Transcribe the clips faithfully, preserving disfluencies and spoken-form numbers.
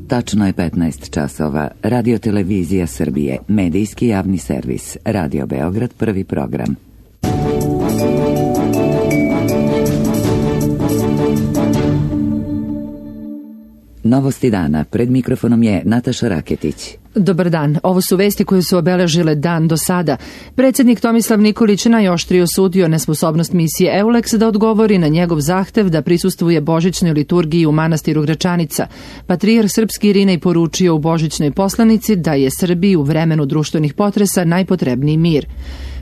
Tačno je petnaest časova. Radio Televizija Srbije, medijski javni servis. Radio Beograd, prvi program. Novosti dana. Pred mikrofonom je Nataša Raketić. Dobar dan. Ovo su vesti koje su obeležile dan do sada. Predsjednik Tomislav Nikolić najoštrije osudio nesposobnost misije Euleks da odgovori na njegov zahtev da prisustvuje božićnoj liturgiji u manastiru Gračanica. Patrijarh srpski Irinej poručio u božićnoj poslanici da je Srbiji u vremenu društvenih potresa najpotrebniji mir.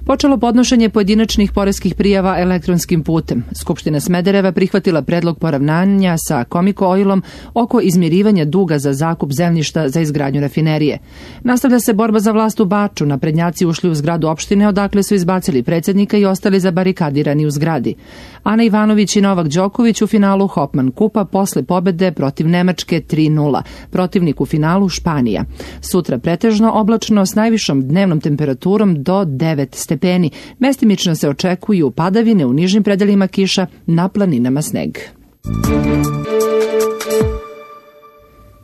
Počelo podnošenje pojedinačnih poreskih prijava elektronskim putem. Skupština Smedereva prihvatila predlog poravnanja sa Komiko Oilom oko izmirivanja duga za zakup zemljišta za izgradnju rafinerije. Nastavlja se borba za vlast u Baču. Naprednjaci ušli u zgradu opštine, odakle su izbacili predsjednika i ostali zabarikadirani u zgradi. Ana Ivanović i Novak Đoković u finalu Hopman kupa posle pobede protiv Nemačke tri nula. Protivnik u finalu Španija. Sutra pretežno oblačno s najvišom dnevnom temperaturom do devet stepeni. Mestimično se očekuju padavine, u nižim predelima kiša, na planinama sneg.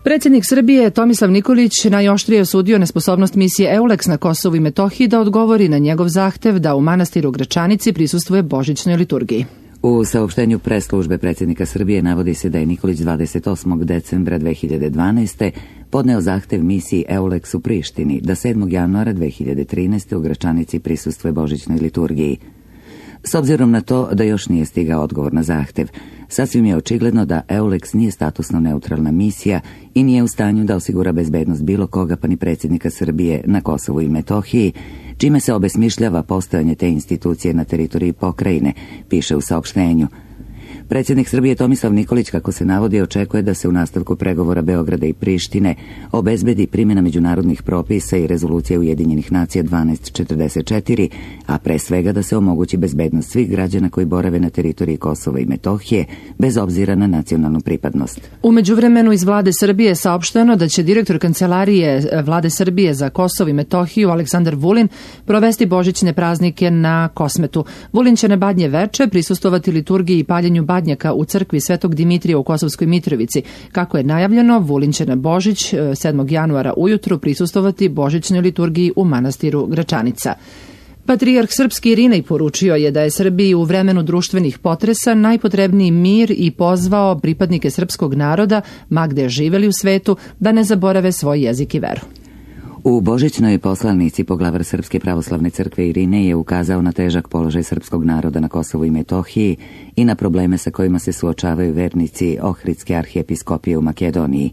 Predsjednik Srbije Tomislav Nikolić najoštrije osudio nesposobnost misije Euleks na Kosovu i Metohiji da odgovori na njegov zahtev da u manastiru Gračanici prisustvuje božićnoj liturgiji. U saopštenju pres službe predsjednika Srbije navodi se da je Nikolić dvadeset osmog decembra dve hiljade dvanaeste. podneo zahtev misiji Euleks u Prištini da sedmog januara dve hiljade trinaeste. u Gračanici prisustvuje božićnoj liturgiji. S obzirom na to da još nije stigao odgovor na zahtev, sasvim je očigledno da Euleks nije statusno neutralna misija i nije u stanju da osigura bezbednost bilo koga, pa ni predsjednika Srbije na Kosovu i Metohiji, čime se obesmišljava postojanje te institucije na teritoriji pokrajine, piše u saopštenju. Predsjednik Srbije Tomislav Nikolić, kako se navodi, očekuje da se u nastavku pregovora Beograda i Prištine obezbedi primjena međunarodnih propisa i rezolucije Ujedinjenih nacija dvanaest četrdeset četiri, a pre svega da se omogući bezbednost svih građana koji borave na teritoriji Kosova i Metohije, bez obzira na nacionalnu pripadnost. U međuvremenu iz vlade Srbije je saopšteno da će direktor kancelarije vlade Srbije za Kosovo i Metohiju Aleksandar Vulin provesti božićne praznike na Kosmetu. Vulin će na Badnje veče prisustvovati liturgiji i paljenju badnjaka u crkvi Svetog Dimitrija u Kosovskoj Mitrovici. Kako je najavljeno, Vulin će na Božić sedmog januara ujutru prisustvovati božićnoj liturgiji u manastiru Gračanica. Patrijarh srpski Irinej poručio je da je Srbiji u vremenu društvenih potresa najpotrebniji mir i pozvao pripadnike srpskog naroda, ma gde živeli u svetu, da ne zaborave svoj jezik i veru. U božićnoj poslanici poglavar Srpske pravoslavne crkve Irinej je ukazao na težak položaj srpskog naroda na Kosovu i Metohiji i na probleme sa kojima se suočavaju vernici Ohridske arhijepiskopije u Makedoniji.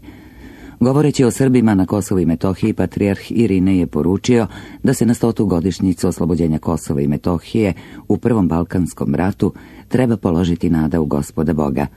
Govoreći o Srbima na Kosovu i Metohiji, patrijarh Irinej je poručio da se na stotu godišnjicu oslobođenja Kosova i Metohije u Prvom Balkanskom ratu treba položiti nada u Gospoda Boga.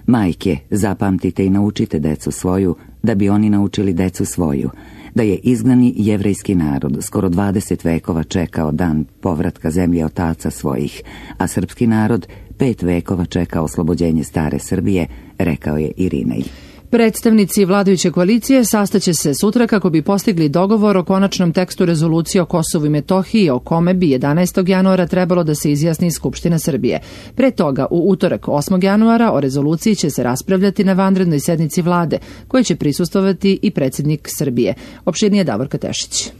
Majke, zapamtite i naučite decu svoju, da bi oni naučili decu svoju, da je izgnani jevrejski narod skoro dvadeset vekova čekao dan povratka zemlje otaca svojih, a srpski narod pet vekova čeka oslobođenje stare Srbije, rekao je Irinej. Predstavnici vladajuće koalicije sastaće se sutra kako bi postigli dogovor o konačnom tekstu rezolucije o Kosovu i Metohiji, o kome bi jedanaestog januara trebalo da se izjasni Skupština Srbije. Pre toga, u utorak osmog januara o rezoluciji će se raspravljati na vanrednoj sednici vlade, koje će prisustvovati i predsjednik Srbije. Opširnije Davorka Tešić.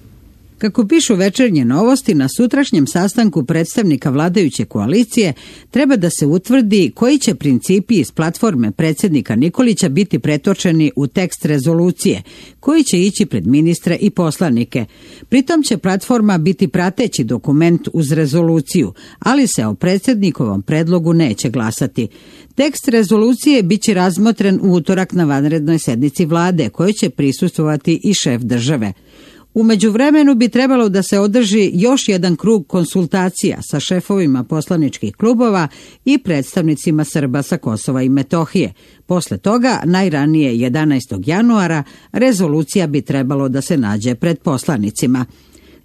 Kako pišu Večernje novosti, na sutrašnjem sastanku predstavnika vladajuće koalicije treba da se utvrdi koji će principi iz platforme predsjednika Nikolića biti pretočeni u tekst rezolucije, koji će ići pred ministre i poslanike. Pritom će platforma biti prateći dokument uz rezoluciju, ali se o predsjednikovom predlogu neće glasati. Tekst rezolucije biće razmotren u utorak na vanrednoj sednici vlade, kojoj će prisustvovati i šef države. U međuvremenu bi trebalo da se održi još jedan krug konsultacija sa šefovima poslaničkih klubova i predstavnicima Srba sa Kosova i Metohije. Posle toga, najranije jedanaestog januara, rezolucija bi trebalo da se nađe pred poslanicima.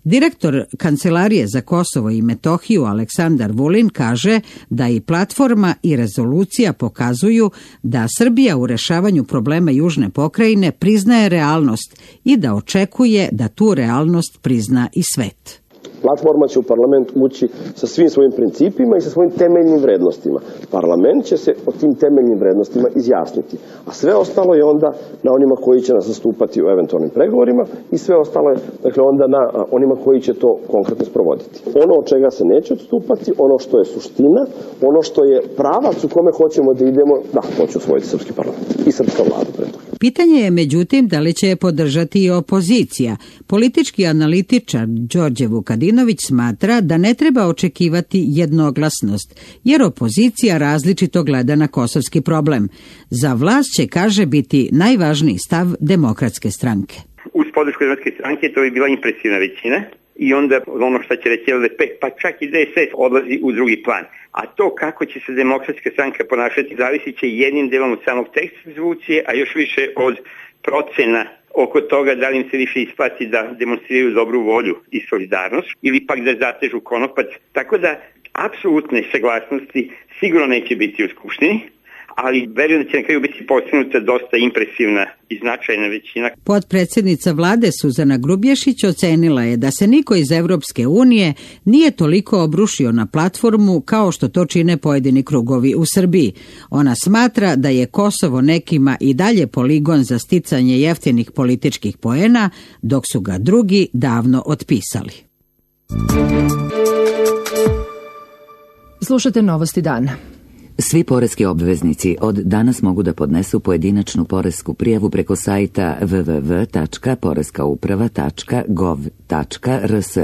Direktor Kancelarije za Kosovo i Metohiju Aleksandar Vulin kaže da i platforma i rezolucija pokazuju da Srbija u rešavanju problema južne pokrajine priznaje realnost i da očekuje da tu realnost prizna i svet. Platforma će u parlament ući sa svim svojim principima i sa svojim temeljnim vrednostima. Parlament će se o tim temeljnim vrednostima izjasniti. A sve ostalo je onda na onima koji će nas zastupati u eventualnim pregovorima i sve ostalo je, dakle, onda na onima koji će to konkretno sprovoditi. Ono od čega se neće odstupati, ono što je suština, ono što je pravac u kome hoćemo da idemo, da, to će usvojiti srpski parlament i srpska vlada pre toga. Pitanje je međutim da li će je podržati i opozicija. Politički analitičar Đorđe Vukadinović smatra da ne treba očekivati jednoglasnost, jer opozicija različito gleda na kosovski problem. Za vlast će, kaže, biti najvažniji stav Demokratske stranke. Uz podršku Demokratske stranke to bi bila impresivna većina i onda ono što će reći L D P, pa čak i D S S odlazi u drugi plan. A to kako će se Demokratska stranka ponašati zavisit će jednim delom od samog teksta rezolucije, a još više od procena oko toga da li im se više isplati da demonstriraju dobru volju i solidarnost ili pak da zatežu konopac. Tako da apsolutne saglasnosti sigurno neće biti u Skupštini, ali verujem da će na kraju biti postignuta dosta impresivna i značajna većina. Potpredsjednica vlade Suzana Grubješić ocenila je da se niko iz Evropske unije nije toliko obrušio na platformu kao što to čine pojedini krugovi u Srbiji. Ona smatra da je Kosovo nekima i dalje poligon za sticanje jeftinih političkih poena, dok su ga drugi davno otpisali. Slušate Novosti dana. Svi poreski obveznici od danas mogu da podnesu pojedinačnu poresku prijavu preko sajta w w w tačka poreska uprava tačka gov tačka r s.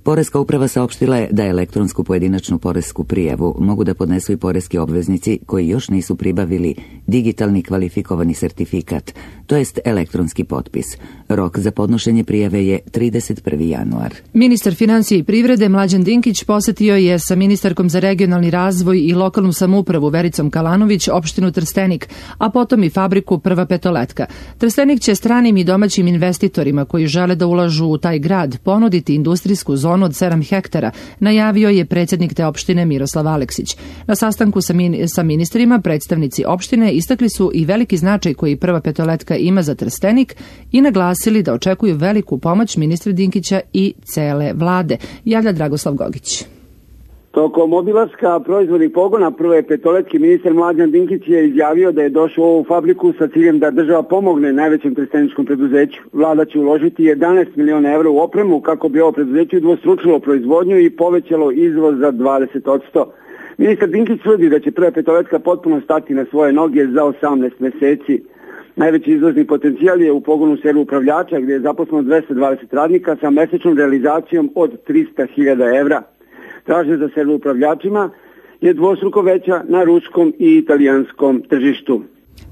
Poreska uprava saopštila je da elektronsku pojedinačnu poresku prijavu mogu da podnesu i poreski obveznici koji još nisu pribavili digitalni kvalifikovani sertifikat, to jest elektronski potpis. Rok za podnošenje prijave je trideset prvi januar. Ministar financije i privrede Mlađan Dinkić posetio je sa ministarkom za regionalni razvoj i lokalnu samoupravu Vericom Kalanović opštinu Trstenik, a potom i fabriku Prva petoletka. Trstenik će stranim i domaćim investitorima koji žele da ulažu u taj grad ponuditi industrijsku zonu od sedam hektara, najavio je predsjednik te opštine Miroslav Aleksić. Na sastanku sa, min- sa ministrima predstavnici opštine istakli su i veliki značaj koji Prva petoletka ima za Trstenik i naglasili da očekuju veliku pomoć ministra Dinkića i cele vlade. Javlja Dragoslav Gogić. Tokom obilaska proizvodnih pogona Prve petoletke ministar Mlađan Dinkić je izjavio da je došao u ovu fabriku sa ciljem da država pomogne najvećem trsteničkom preduzeću. Vlada će uložiti jedanaest miliona evra u opremu kako bi ovo preduzeće udvostručilo proizvodnju i povećalo izvoz za dvadeset posto. Ministar Dinkić tvrdi da će Prva petoletka potpuno stati na svoje noge za osamnaest meseci. Najveći izvozni potencijal je u pogonu Servo upravljača gdje je zaposleno dvesta dvadeset radnika sa mesečnom realizacijom od trista hiljada evra. Tražnja za servo upravljačima je dvostruko veća na ruskom i italijanskom tržištu.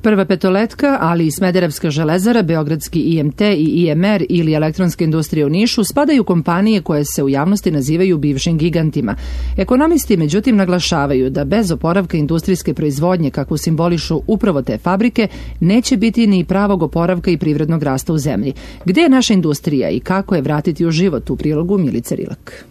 Prva petoletka, ali i Smederevska železara, Beogradski I M T i I M R ili elektronska industrija u Nišu spadaju kompanije koje se u javnosti nazivaju bivšim gigantima. Ekonomisti međutim naglašavaju da bez oporavka industrijske proizvodnje kakvu simbolišu upravo te fabrike neće biti ni pravog oporavka i privrednog rasta u zemlji. Gde je naša industrija i kako je vratiti u život, u prilogu Milice Rilak.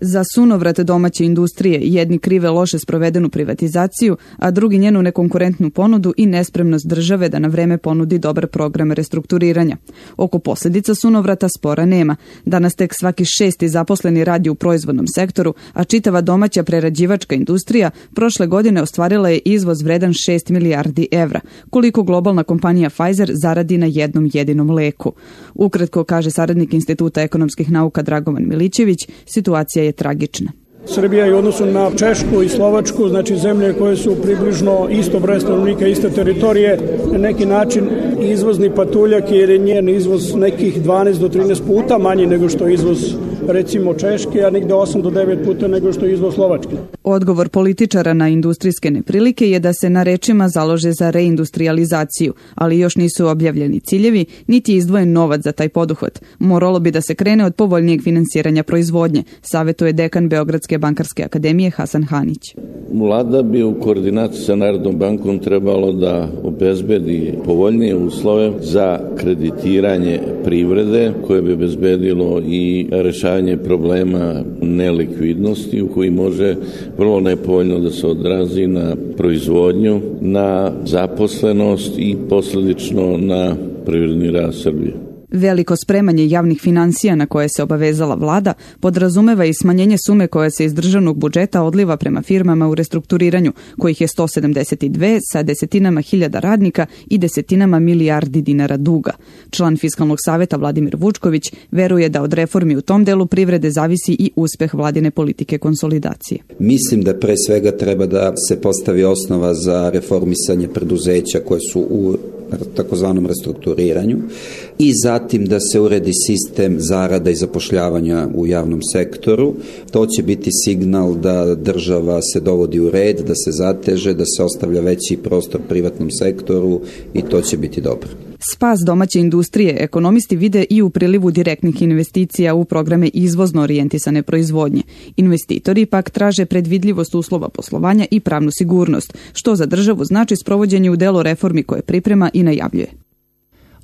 Za sunovrat domaće industrije jedni krive loše sprovedenu privatizaciju, a drugi njenu nekonkurentnu ponudu i nespremnost države da na vreme ponudi dobar program restrukturiranja. Oko posljedica sunovrata spora nema. Danas tek svaki šesti zaposleni radi u proizvodnom sektoru, a čitava domaća prerađivačka industrija prošle godine ostvarila je izvoz vredan šest milijardi evra, koliko globalna kompanija Pfizer zaradi na jednom jedinom leku. Ukratko, kaže saradnik Instituta ekonomskih nauka Dragovan Milićević, situacija je tragična. Srbija je u odnosu na Češku i Slovačku, znači zemlje koje su približno isto broj stanovnika, iste teritorije, na neki način izvozni patuljak jer je njen izvoz nekih dvanaest do trinaest puta manji nego što je izvoz recimo Češke, a negde osam do devet puta nego što je izvoz Slovačke. Odgovor političara na industrijske neprilike je da se na rečima založe za reindustrializaciju, ali još nisu objavljeni ciljevi, niti je izdvojen novac za taj poduhvat. Moralo bi da se krene od povoljnijeg finansiranja proizvodnje, savjetuje dekan Beogradske bankarske akademije Hasan Hanić. Vlada bi u koordinaciji sa Narodnom bankom trebalo da obezbedi povoljnije uslove za kreditiranje privrede koje bi obezbedilo i rešavanje problema nelikvidnosti u koji može vrlo nepovoljno da se odrazi na proizvodnju, na zaposlenost i posljedično na privredni rast Srbije. Veliko spremanje javnih finansija na koje se obavezala vlada podrazumeva i smanjenje sume koja se iz državnog budžeta odliva prema firmama u restrukturiranju, kojih je sto sedamdeset dve sa desetinama hiljada radnika i desetinama milijardi dinara duga. Član Fiskalnog saveta Vladimir Vučković veruje da od reformi u tom delu privrede zavisi i uspeh vladine politike konsolidacije. Mislim da pre svega treba da se postavi osnova za reformisanje preduzeća koje su u takozvanom restrukturiranju i zatim da se uredi sistem zarada i zapošljavanja u javnom sektoru. To će biti signal da država se dovodi u red, da se zateže, da se ostavlja veći prostor privatnom sektoru i to će biti dobro. Spas domaće industrije ekonomisti vide i u prilivu direktnih investicija u programe izvozno orijentisane proizvodnje. Investitori pak traže predvidljivost uslova poslovanja i pravnu sigurnost, što za državu znači sprovođenje u delo reformi koje priprema i najavljuje.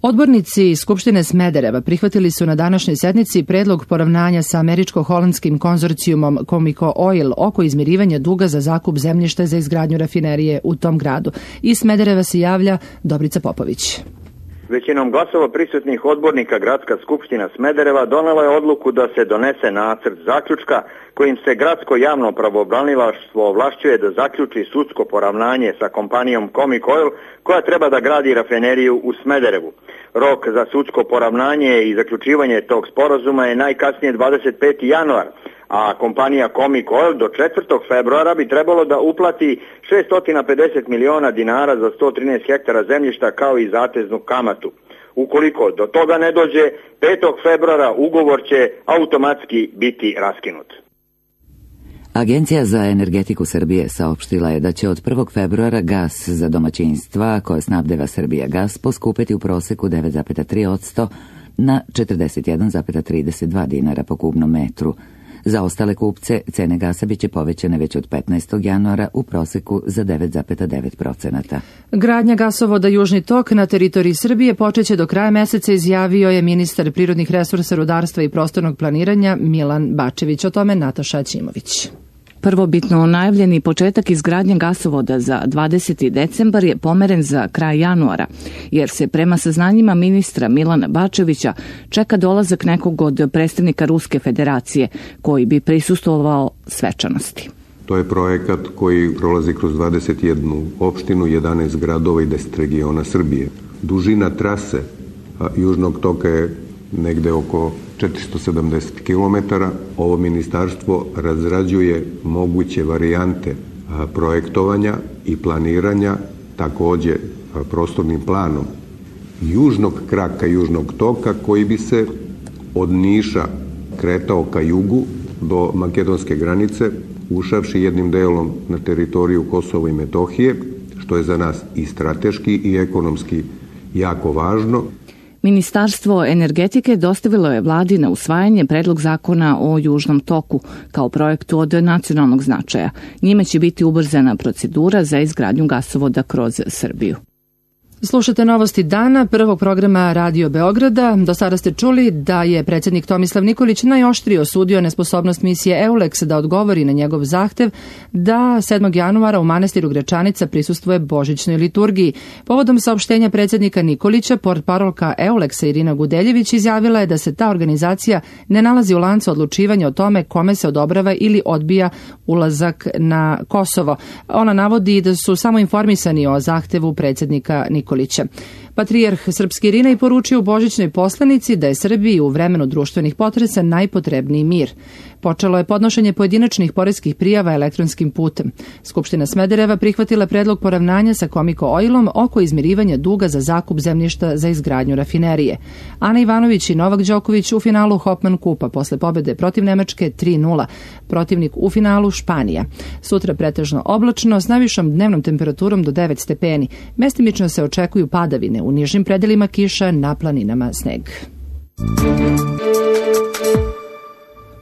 Odbornici Skupštine Smedereva prihvatili su na današnjoj sednici predlog poravnanja sa američko-holandskim konzorcijumom Comico Oil oko izmirivanja duga za zakup zemljišta za izgradnju rafinerije u tom gradu. Iz Smedereva se javlja Dobrica Popović. Većinom glasova prisutnih odbornika Gradska skupština Smedereva donela je odluku da se donese nacrt zaključka kojim se gradsko javno pravobranilaštvo ovlašćuje da zaključi sudsko poravnanje sa kompanijom Comic Oil koja treba da gradi rafineriju u Smederevu. Rok za sudsko poravnanje i zaključivanje tog sporazuma je najkasnije dvadeset peti januar, a kompanija Comic Oil do četvrtog februara bi trebalo da uplati šesto pedeset miliona dinara za sto trinaest hektara zemljišta kao i zateznu kamatu. Ukoliko do toga ne dođe, petog februara ugovor će automatski biti raskinut. Agencija za energetiku Srbije saopštila je da će od prvog februara gas za domaćinstva koje snabdeva Srbija gas poskupeti u proseku devet zarez tri posto na četrdeset jedan zarez trideset dva dinara po kubnom metru. Za ostale kupce cene gasa biće povećane već od petnaestog januara u proseku za devet zarez devet posto. Gradnja gasovoda Južni tok na teritoriji Srbije počeće do kraja meseca, izjavio je ministar prirodnih resursa, rudarstva i prostornog planiranja Milan Bačević. O tome Nataša Ćimović. Prvobitno najavljeni početak izgradnje gasovoda za dvadeseti decembar je pomeren za kraj januara, jer se prema saznanjima ministra Milana Bačevića čeka dolazak nekog od predstavnika Ruske federacije koji bi prisustvovao svečanosti. To je projekat koji prolazi kroz dvadeset jednu opštinu, jedanaest gradova i deset regiona Srbije. Dužina trase Južnog toka je negde oko četiristo sedamdeset kilometara. Ovo ministarstvo razrađuje moguće varijante projektovanja i planiranja, takođe prostornim planom južnog kraka Južnog toka koji bi se od Niša kretao ka jugu do makedonske granice, ušavši jednim delom na teritoriju Kosova i Metohije, što je za nas i strateški i ekonomski jako važno. Ministarstvo energetike dostavilo je vladi na usvajanje predlog zakona o Južnom toku kao projektu od nacionalnog značaja. Njime će biti ubrzana procedura za izgradnju gasovoda kroz Srbiju. Slušate novosti dana prvog programa Radio Beograda. Do sada ste čuli da je predsjednik Tomislav Nikolić najoštrije osudio nesposobnost misije EULEX da odgovori na njegov zahtev da sedmog januara u manastiru Gračanica prisustvuje božićnoj liturgiji. Povodom saopštenja predsjednika Nikolića, portparolka EULEX-a Irina Gudeljević izjavila je da se ta organizacija ne nalazi u lancu odlučivanja o tome kome se odobrava ili odbija ulazak na Kosovo. Ona navodi da su samo informisani o zahtevu predsjednika Nikolića. Patrijarh Srpski Irinej poručio u božićnoj poslanici da je Srbiji u vremenu društvenih potresa najpotrebniji mir. Počelo je podnošenje pojedinačnih poreskih prijava elektronskim putem. Skupština Smedereva prihvatila predlog poravnanja sa Comico Oilom oko izmirivanja duga za zakup zemljišta za izgradnju rafinerije. Ana Ivanović i Novak Đoković u finalu Hopman kupa posle pobede protiv Nemačke tri nula. Protivnik u finalu Španija. Sutra pretežno oblačno s najvišom dnevnom temperaturom do devet stepeni. Mestimično se očekuju padavine, u nižim predelima kiša, na planinama sneg.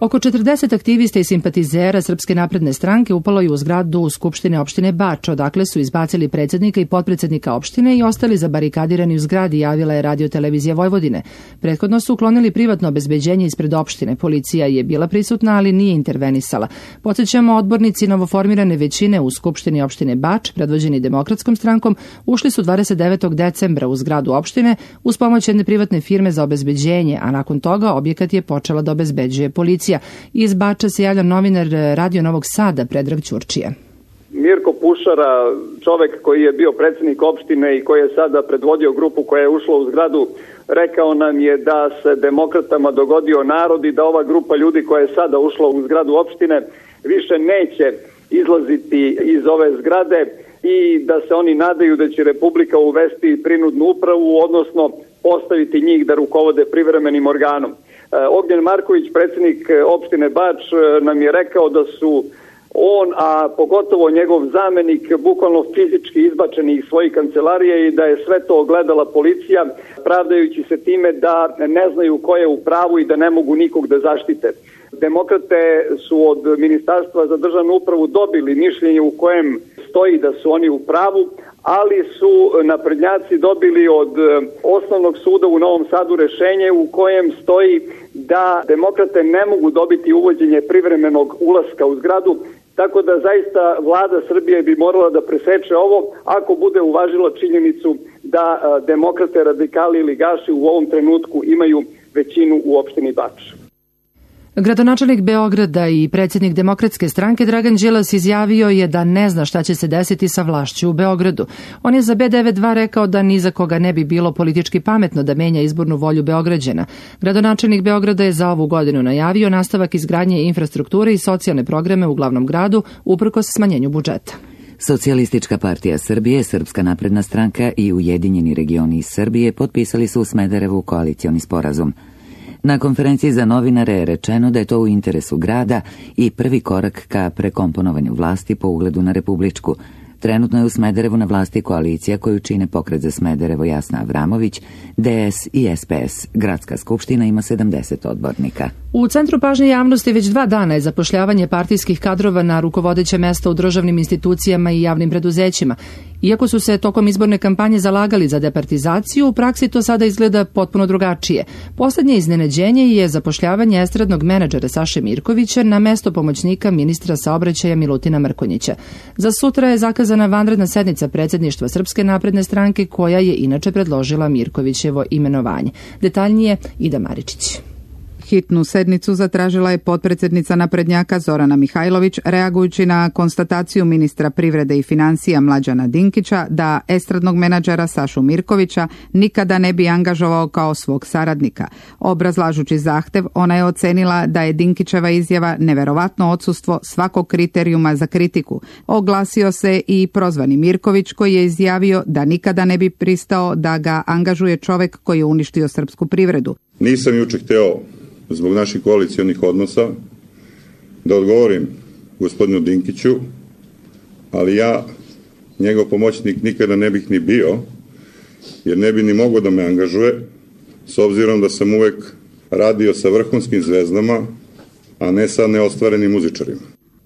Oko četrdeset aktivista i simpatizera Srpske napredne stranke upalo je u zgradu u Skupštine opštine Bač, odakle su izbacili predsjednika i potpredsjednika opštine i ostali zabarikadirani u zgradi, javila je Radio-televizija Vojvodine. Prethodno su uklonili privatno obezbeđenje ispred opštine. Policija je bila prisutna, ali nije intervenisala. Podsjećamo, odbornici novoformirane većine u Skupštini opštine Bač, predvođeni Demokratskom strankom, ušli su dvadeset devetog decembra u zgradu opštine uz pomoć jedne privatne firme za obezbeđenje, a nakon toga objekat je počela da obezbeđuje policija. Iz Bača se javlja novinar Radio Novog Sada Predrag Ćurčija. Mirko Pušara, čovek koji je bio predsjednik opštine i koji je sada predvodio grupu koja je ušla u zgradu, rekao nam je da se demokratama dogodio narod i da ova grupa ljudi koja je sada ušla u zgradu opštine više neće izlaziti iz ove zgrade i da se oni nadaju da će Republika uvesti prinudnu upravu, odnosno postaviti njih da rukovode privremenim organom. Ognjen Marković, predsjednik opštine Bač, nam je rekao da su on, a pogotovo njegov zamenik, bukvalno fizički izbačeni iz svojih kancelarije i da je sve to ogledala policija, pravdajući se time da ne znaju ko je u pravu i da ne mogu nikog da zaštite. Demokrate su od Ministarstva za državnu upravu dobili mišljenje u kojem stoji da su oni u pravu, ali su naprednjaci dobili od Osnovnog suda u Novom Sadu rešenje u kojem stoji da demokrate ne mogu dobiti uvođenje privremenog ulaska u zgradu, tako da zaista vlada Srbije bi morala da preseče ovo ako bude uvažila činjenicu da demokrate, radikali ili gaši u ovom trenutku imaju većinu u opštini Bač. Gradonačelnik Beograda i predsjednik Demokratske stranke Dragan Đilas izjavio je da ne zna šta će se desiti sa vlašću u Beogradu. On je za B devet dva rekao da ni za koga ne bi bilo politički pametno da menja izbornu volju Beograđana. Gradonačelnik Beograda je za ovu godinu najavio nastavak izgradnje infrastrukture i socijalne programe u glavnom gradu uprkos smanjenju budžeta. Socijalistička partija Srbije, Srpska napredna stranka i Ujedinjeni regioni iz Srbije potpisali su u Smederevu koalicioni sporazum. Na konferenciji za novinare je rečeno da je to u interesu grada i prvi korak ka prekomponovanju vlasti po ugledu na republičku. Trenutno je u Smederevu na vlasti koalicija koju čine Pokret za Smederevo Jasna Avramović, D S i S P S. Gradska skupština ima sedamdeset odbornika. U centru pažnje javnosti već dva dana je zapošljavanje partijskih kadrova na rukovodeće mesta u državnim institucijama i javnim preduzećima. Iako su se tokom izborne kampanje zalagali za departizaciju, u praksi to sada izgleda potpuno drugačije. Poslednje iznenađenje je zapošljavanje estradnog menadžera Saše Mirkovića na mesto pomoćnika ministra saobraćaja Milutina Mrkonjića. Za sutra je zakazana vanredna sednica predsjedništva Srpske napredne stranke, koja je inače predložila Mirkovićevo imenovanje. Detaljnije Ida Maričić. Hitnu sednicu zatražila je potpredsjednica naprednjaka Zorana Mihajlović, reagujući na konstataciju ministra privrede i financija Mlađana Dinkića da estradnog menadžera Sašu Mirkovića nikada ne bi angažovao kao svog saradnika. Obrazlažući zahtev, ona je ocenila da je Dinkićeva izjava neverovatno odsustvo svakog kriterijuma za kritiku. Oglasio se i prozvani Mirković, koji je izjavio da nikada ne bi pristao da ga angažuje čovek koji je uništio srpsku privredu. Nisam juče hteo zbog naših koalicijonih odnosa da odgovorim gospodinu Dinkiću, ali ja, njegov pomoćnik, nikada ne bih ni bio, jer ne bi ni mogao da me angažuje, s obzirom da sam uvek radio sa vrhunskim zvezdama, a ne sa neostvarenim muzičarima.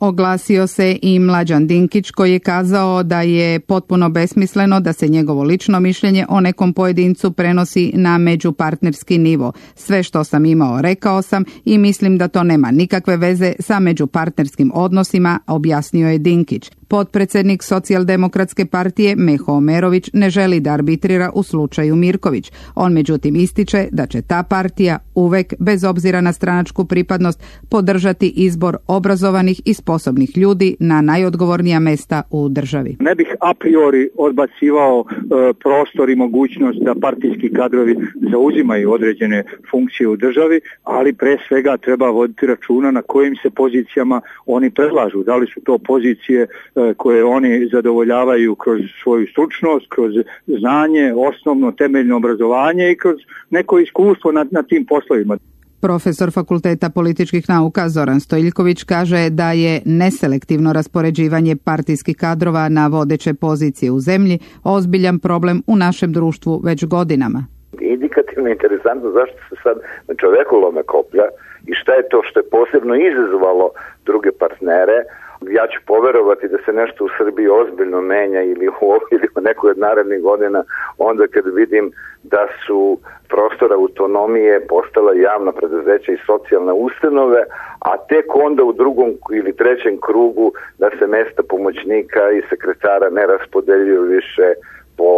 Oglasio se i Mlađan Dinkić, koji je kazao da je potpuno besmisleno da se njegovo lično mišljenje o nekom pojedincu prenosi na međupartnerski nivo. Sve što sam imao rekao sam i mislim da to nema nikakve veze sa međupartnerskim odnosima, objasnio je Dinkić. Potpredsjednik Socijaldemokratske partije Meho Omerović ne želi da arbitrira u slučaju Mirković. On međutim ističe da će ta partija uvek, bez obzira na stranačku pripadnost, podržati izbor obrazovanih i sposobnih ljudi na najodgovornija mesta u državi. Ne bih a priori odbacivao e, prostor i mogućnost da partijski kadrovi zauzimaju određene funkcije u državi, ali pre svega treba voditi računa na kojim se pozicijama oni predlažu. Da li su to pozicije e, koje oni zadovoljavaju kroz svoju stručnost, kroz znanje, osnovno temeljno obrazovanje i kroz neko iskustvo na, na tim poslovima. Profesor Fakulteta političkih nauka Zoran Stojiljković kaže da je neselektivno raspoređivanje partijskih kadrova na vodeće pozicije u zemlji ozbiljan problem u našem društvu već godinama. Indikativno je interesantno zašto se sad na čoveku lome koplja i šta je to što je posebno izazvalo druge partnere. Ja ću poverovati da se nešto u Srbiji ozbiljno menja ili u, ili u nekoj od narednih godina onda kad vidim da su prostor autonomije postala javna preduzeća i socijalne ustanove, a tek onda u drugom ili trećem krugu da se mesta pomoćnika i sekretara ne raspodeljuju više po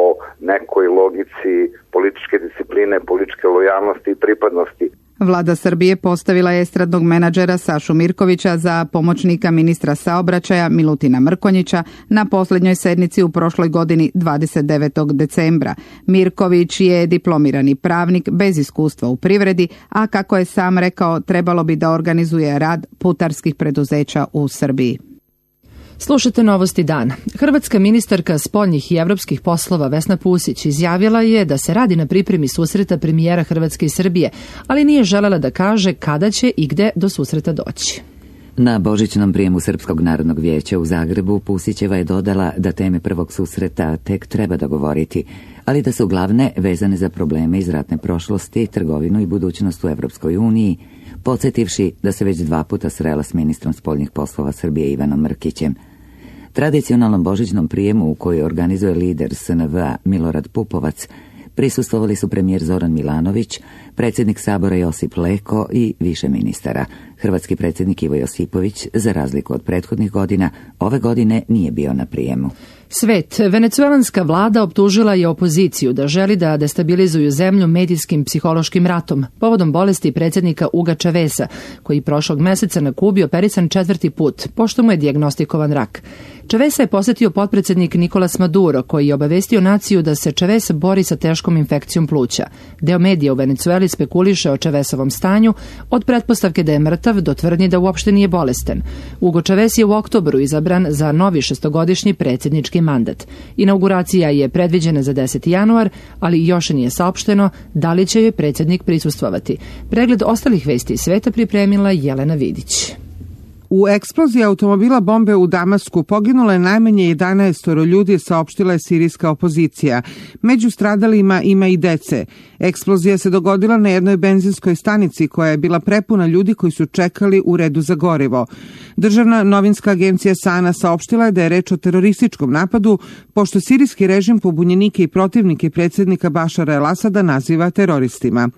nekoj logici političke discipline, političke lojalnosti i pripadnosti. Vlada Srbije postavila je estradnog menadžera Sašu Mirkovića za pomoćnika ministra saobraćaja Milutina Mrkonjića na posljednjoj sednici u prošloj godini dvadeset devetog decembra. Mirković je diplomirani pravnik bez iskustva u privredi, a kako je sam rekao, trebalo bi da organizuje rad putarskih preduzeća u Srbiji. Slušate Novosti dana. Hrvatska ministarka spoljnih i evropskih poslova Vesna Pusić izjavila je da se radi na pripremi susreta premijera Hrvatske i Srbije, ali nije želela da kaže kada će i gde do susreta doći. Na božićnom prijemu Srpskog narodnog vijeća u Zagrebu Pusićeva je dodala da teme prvog susreta tek treba dogovoriti, ali da su glavne vezane za probleme iz ratne prošlosti, trgovinu i budućnost u Evropskoj uniji, podsjetivši da se već dva puta srela s ministrom spoljnih poslova Srbije Ivanom Mrkićem. Tradicionalnom božićnom prijemu u kojoj organizuje lider S N V-a Milorad Pupovac prisustvovali su premijer Zoran Milanović, predsjednik Sabora Josip Leko i više ministara. Hrvatski predsjednik Ivo Josipović, za razliku od prethodnih godina, ove godine nije bio na prijemu. Svet. Venecuelanska vlada optužila je opoziciju da želi da destabilizuju zemlju medijskim psihološkim ratom povodom bolesti predsjednika Uga Čavesa, koji prošlog meseca na Kubi operisan četvrti put, pošto mu je dijagnostikovan rak. Čavesa je posjetio potpredsjednik Nicolas Maduro, koji je obavestio naciju da se Čaves bori sa teškom infekcijom pluća. Deo medija u Venecueli spekuliše o Čavesovom stanju, od pretpostavke da je mrtav do tvrdnji da uopšte nije bolestan. Ugo Čaves je u oktobru izabran za novi šestogodišnji predsjednički mandat. Inauguracija je predviđena za deseti januar, ali još nije saopšteno da li će joj predsjednik prisustvovati. Pregled ostalih vesti iz sveta pripremila Jelena Vidić. U eksploziji automobila bombe u Damasku poginulo je najmanje jedanaest ljudi, saopštila je sirijska opozicija. Među stradalima ima i dece. Eksplozija se dogodila na jednoj benzinskoj stanici koja je bila prepuna ljudi koji su čekali u redu za gorivo. Državna novinska agencija Sana saopštila je da je reč o terorističkom napadu, pošto sirijski režim pobunjenike i protivnike predsjednika Bašara el-Asada naziva teroristima.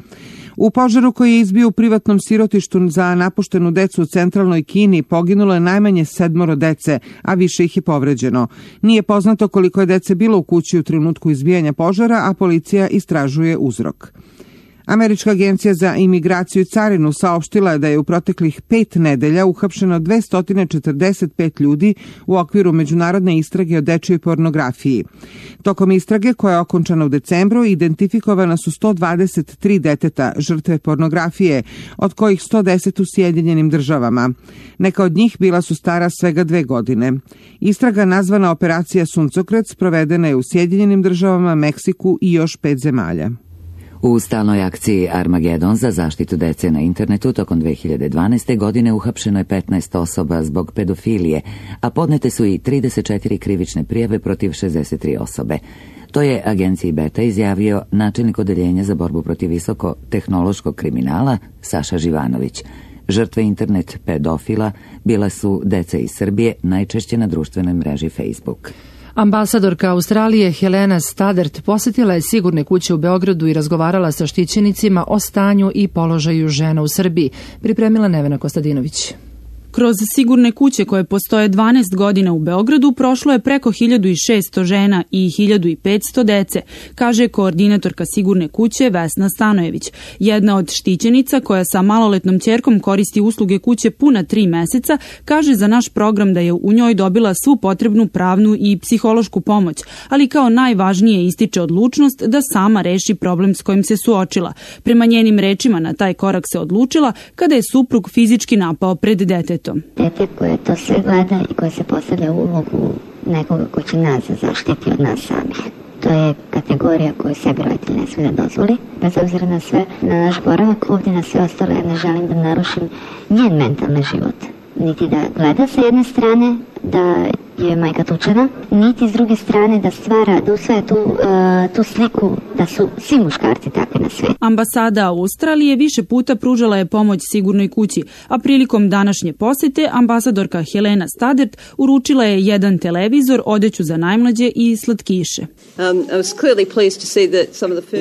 U požaru koji je izbio u privatnom sirotištu za napuštenu decu u centralnoj Kini poginulo je najmanje sedmoro dece, a više ih je povređeno. Nije poznato koliko je dece bilo u kući u trenutku izbijanja požara, a policija istražuje uzrok. Američka agencija za imigraciju i carinu saopštila je da je u proteklih pet nedelja uhapšeno dvesta četrdeset pet ljudi u okviru međunarodne istrage o dečjoj pornografiji. Tokom istrage, koja je okončana u decembru, identifikovana su sto dvadeset tri deteta žrtve pornografije, od kojih sto deset u Sjedinjenim državama. Neka od njih bila su stara svega dve godine. Istraga, nazvana Operacija Suncokret, sprovedena je u Sjedinjenim državama, Meksiku i još pet zemalja. U stalnoj akciji Armagedon za zaštitu dece na internetu tokom dve hiljade dvanaeste. godine uhapšeno je petnaest osoba zbog pedofilije, a podnete su i trideset četiri krivične prijave protiv šezdeset tri osobe. To je agenciji Beta izjavio načelnik odeljenja za borbu protiv visoko-tehnološkog kriminala Saša Živanović. Žrtve internet pedofila bila su deca iz Srbije, najčešće na društvenoj mreži Facebook. Ambasadorka Australije Helena Stadert posjetila je sigurne kuće u Beogradu i razgovarala sa štićenicima o stanju i položaju žena u Srbiji, pripremila Nevena Kostadinović. Kroz sigurne kuće koje postoje dvanaest godina u Beogradu prošlo je preko hiljadu šessto žena i hiljadu petsto dece, kaže koordinatorka sigurne kuće Vesna Stanojević. Jedna od štićenica koja sa maloletnom ćerkom koristi usluge kuće puna tri meseca, kaže za naš program da je u njoj dobila svu potrebnu pravnu i psihološku pomoć, ali kao najvažnije ističe odlučnost da sama reši problem s kojim se suočila. Prema njenim rečima na taj korak se odlučila kada je suprug fizički napao pred detetom. Dete koje to sve gleda i koje se postavlja u ulogu nekoga ko će nas zaštiti od nas samih. To je kategorija koju sebi roditelj ne smije da dozvoli, bez obzira na sve, na naš boravak ovdje, na sve ostalo. Ja ne želim da narušim njen mentalni život. Niti da gleda sa jedne strane, da je majka tučena, niti s druge strane da stvara, da usvaja tu, uh, tu sliku da su svi muškarci takvi na svijetu. Ambasada Australije više puta pružala je pomoć Sigurnoj kući, a prilikom današnje posete ambasadorka Helena Stadert uručila je jedan televizor, odeću za najmlađe i slatkiše.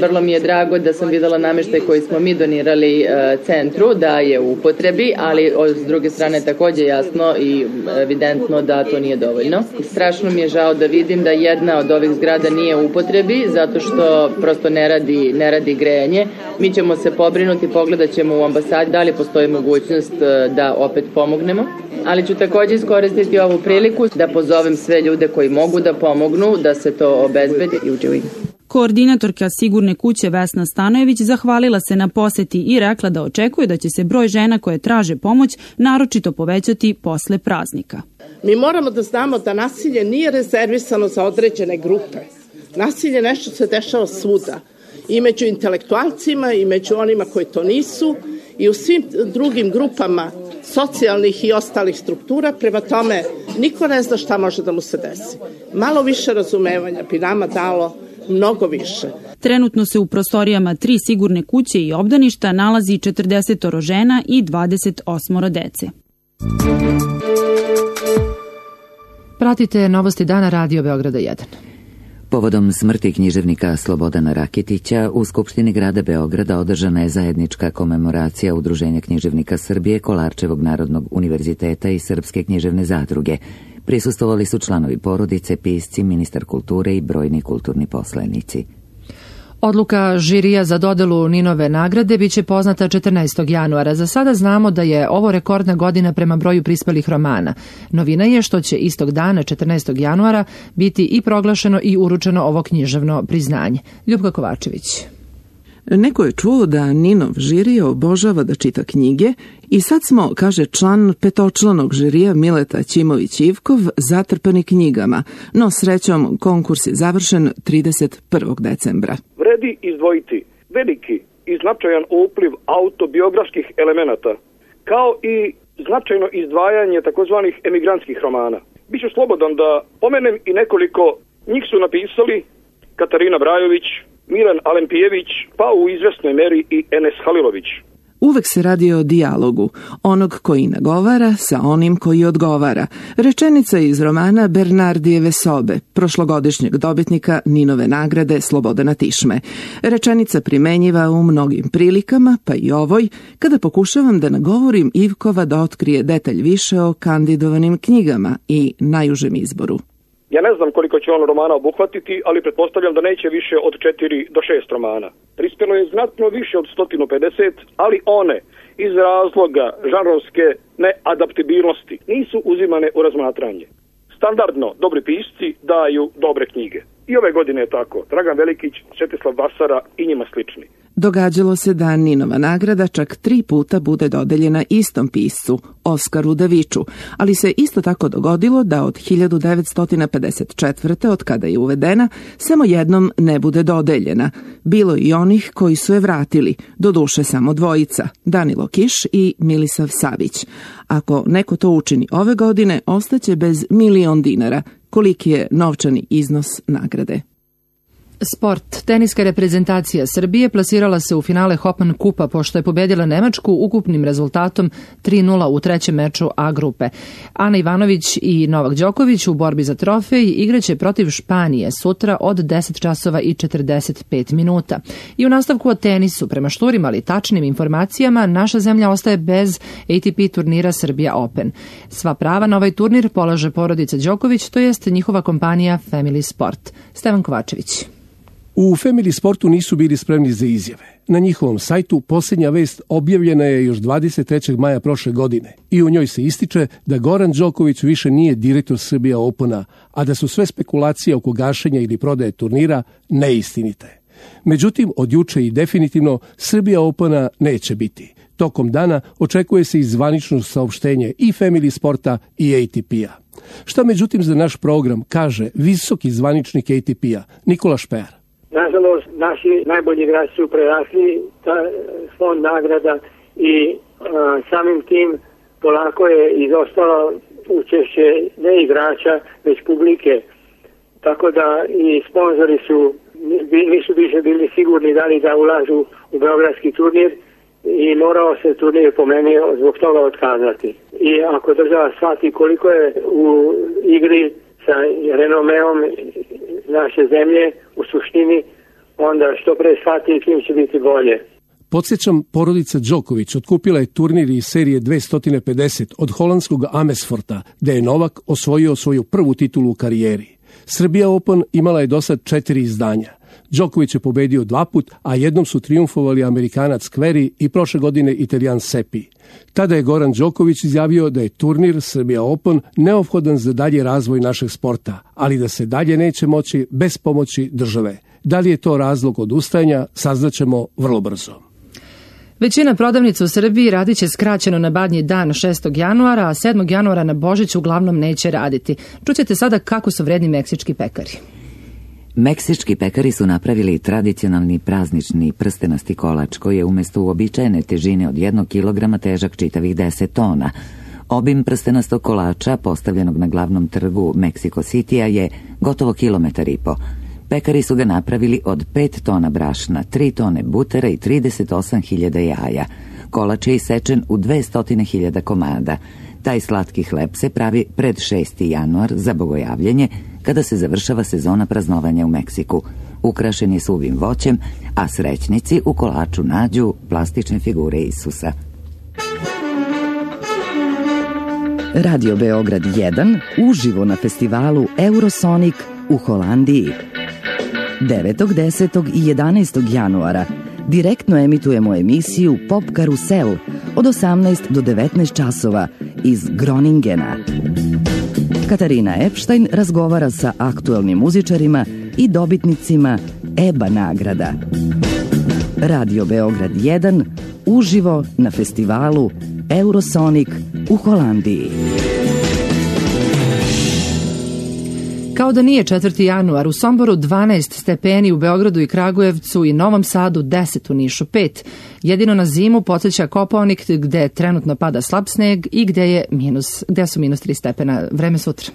Vrlo mi je drago da sam videla namještaj koji smo mi donirali uh, centru, da je u upotrebi, ali s druge strane također jasno i evidentno da to nije dovoljno. Strašno mi je žao da vidim da jedna od ovih zgrada nije u upotrebi, zato što prosto ne radi, ne radi grejanje. Mi ćemo se pobrinuti, pogledat ćemo u ambasadi da li postoji mogućnost da opet pomognemo, ali ću također iskoristiti ovu priliku da pozovem sve ljude koji mogu da pomognu, da se to obezbedi i uđe. Koordinatorka Sigurne kuće Vesna Stanojević zahvalila se na poseti i rekla da očekuje da će se broj žena koje traže pomoć naročito povećati posle praznika. Mi moramo da znamo da nasilje nije rezervisano za određene grupe. Nasilje nešto se dešava svuda. I među intelektualcima, i među onima koji to nisu, i u svim drugim grupama socijalnih i ostalih struktura. Prema tome, niko ne zna šta može da mu se desi. Malo više razumevanja bi nama dalo mnogo više. Trenutno se u prostorijama tri sigurne kuće i obdaništa nalazi četrdeset žena i dvadeset osam dece. Pratite Novosti dana Radio Beograda jedan. Povodom smrti književnika Slobodana Rakitića u Skupštini grada Beograda održana je zajednička komemoracija Udruženja književnika Srbije, Kolarčevog narodnog univerziteta i Srpske književne zadruge. Prisustvovali su članovi porodice, pisci, ministar kulture i brojni kulturni poslanici. Odluka žirija za dodelu Ninove nagrade biće poznata četrnaestog januara. Za sada znamo da je ovo rekordna godina prema broju prispelih romana. Novina je što će istog dana, četrnaestog januara, biti i proglašeno i uručeno ovo književno priznanje. Ljubka Kovačević. Neko je čuo da Ninov žirija obožava da čita knjige i sad smo, kaže član petočlanog žirija Mileta Ćimović-Ivkov, zatrpani knjigama, no srećom konkurs je završen trideset prvog decembra. Vredi izdvojiti veliki i značajan upliv autobiografskih elemenata, kao i značajno izdvajanje takozvanih emigrantskih romana. Biću slobodan da pomenem i nekoliko, njih su napisali Katarina Brajović, Milan Alempijević, pa u izvesnoj meri i Enes Halilović. Uvek se radi o dijalogu, onog koji nagovara sa onim koji odgovara. Rečenica iz romana Bernardijeve sobe, prošlogodišnjeg dobitnika Ninove nagrade Slobodana Tišme. Rečenica primenjiva u mnogim prilikama, pa i ovoj, kada pokušavam da nagovorim Ivkova da otkrije detalj više o kandidovanim knjigama i najužem izboru. Ja ne znam koliko će on romana obuhvatiti, ali pretpostavljam da neće više od četiri do šest romana. Prispelo je znatno više od sto pedeset, ali one iz razloga žanrovske neadaptibilnosti nisu uzimane u razmatranje. Standardno dobri pisci daju dobre knjige. I ove godine je tako. Dragan Velikić, Svetislav Basara i njima slični. Događalo se da Ninova nagrada čak tri puta bude dodeljena istom piscu, Oskaru Daviču, ali se isto tako dogodilo da od hiljadu devetsto pedeset četvrte od kada je uvedena, samo jednom ne bude dodeljena. Bilo i onih koji su je vratili, doduše samo dvojica, Danilo Kiš i Milisav Savić. Ako neko to učini ove godine, ostaće bez milion dinara, koliki je novčani iznos nagrade. Sport. Teniska reprezentacija Srbije plasirala se u finale Hopan kupa pošto je pobedila Nemačku ukupnim rezultatom tri nula u trećem meču A grupe. Ana Ivanović i Novak Đoković u borbi za trofej igraće protiv Španije sutra od deset časova i četrdeset pet minuta. I u nastavku o tenisu, prema šturim ali tačnim informacijama, naša zemlja ostaje bez A T P turnira Serbia Open. Sva prava na ovaj turnir polaže porodica Đoković, to jest njihova kompanija Family Sport. Stevan Kovačević. U Family Sportu nisu bili spremni za izjave. Na njihovom sajtu posljednja vest objavljena je još dvadeset trećeg maja prošle godine i u njoj se ističe da Goran Đoković više nije direktor Serbia Opena, a da su sve spekulacije oko gašenja ili prodaje turnira neistinite. Međutim, od juče i definitivno Serbia Opena neće biti. Tokom dana očekuje se i zvanično saopštenje i Family Sporta i A T P-a. Šta međutim za naš program kaže visoki zvaničnik A T P-a Nikola Špear? Nažalost, naši najbolji igrači su prerasli ta fond nagrada i a, samim tim polako je izostalo učešće ne igrača, već publike. Tako da i sponzori su nisu više bili sigurni da li da ulažu u beogradski turnir i morao se turnir po meni zbog toga otkazati. I ako država shvati koliko je u igri sa renomeom naše zemlje u suštini, onda što pre shvati tim će biti bolje. Podsjećam, porodica Đoković otkupila je turnir iz serije dvesta pedeset od holandskog Amersforta, gde je Novak osvojio svoju prvu titulu u karijeri. Serbia Open imala je dosad četiri izdanja. Đoković je pobedio dva put, a jednom su trijumfovali Amerikanac Querrey i prošle godine Italijan Seppi. Tada je Goran Đoković izjavio da je turnir Serbia Open neophodan za dalje razvoj našeg sporta, ali da se dalje neće moći bez pomoći države. Da li je to razlog odustajanja, saznaćemo vrlo brzo. Većina prodavnica u Srbiji radit će skraćeno na Badnji dan šestog januara, a sedmog januara na Božić uglavnom neće raditi. Čućete sada kako su vredni meksički pekari. Meksički pekari su napravili tradicionalni praznični prstenasti kolač koji je umjesto uobičajene težine od jednog kilograma težak čitavih deset tona. Obim prstenastog kolača postavljenog na glavnom trgu Mexico City-a je gotovo kilometar i po. Pekari su ga napravili od pet tona brašna, tri tone butera i trideset osam hiljada jaja. Kolač je isečen u dvesta hiljada komada. Taj slatki hleb se pravi pred šesti januar za bogojavljenje, kada se završava sezona praznovanja u Meksiku. Ukrašen je suvim voćem, a srećnici u kolaču nađu plastične figure Isusa. Radio Beograd jedan uživo na festivalu Eurosonic u Holandiji. devetog, desetog i jedanaestog januara direktno emitujemo emisiju Pop Karusel od osamnaest do devetnaest časova iz Groningena. Katarina Epstein razgovara sa aktuelnim muzičarima i dobitnicima E B A nagrada. Radio Beograd jedan uživo na festivalu Eurosonic u Holandiji. Kao da nije četvrti januar, u Somboru dvanaest stepeni, u Beogradu i Kragujevcu i Novom Sadu deset, u Nišu pet. Jedino na zimu podsjeća Kopaonik gde trenutno pada slab sneg i gde, je minus, gde su minus tri stepena. Vreme sutra.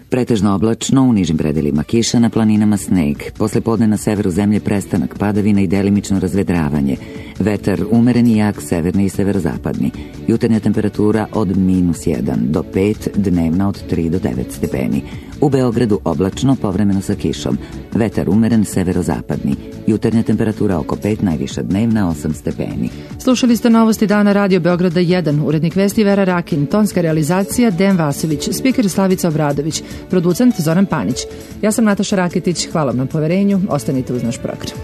Pretežno oblačno, u nižim predelima kiša, na planinama sneg. Posle podne na severu zemlje prestanak padavina i delimično razvedravanje. Vetar umeren i jak, severni i severozapadni. Jutarnja temperatura od minus jedan do pet, dnevna od tri do devet stepeni. U Beogradu oblačno, povremeno sa kišom. Vetar umeren, severozapadni. Jutarnja temperatura oko pet, najviša dnevna osam stepeni. Slušali ste novosti dana Radio Beograda jedan, urednik vesti Vera Rakin, tonska realizacija Dejan Vasović, spiker Slavica Obradović, producent Zoran Panić. Ja sam Nataša Raketić, hvala vam na poverenju, ostanite uz naš program.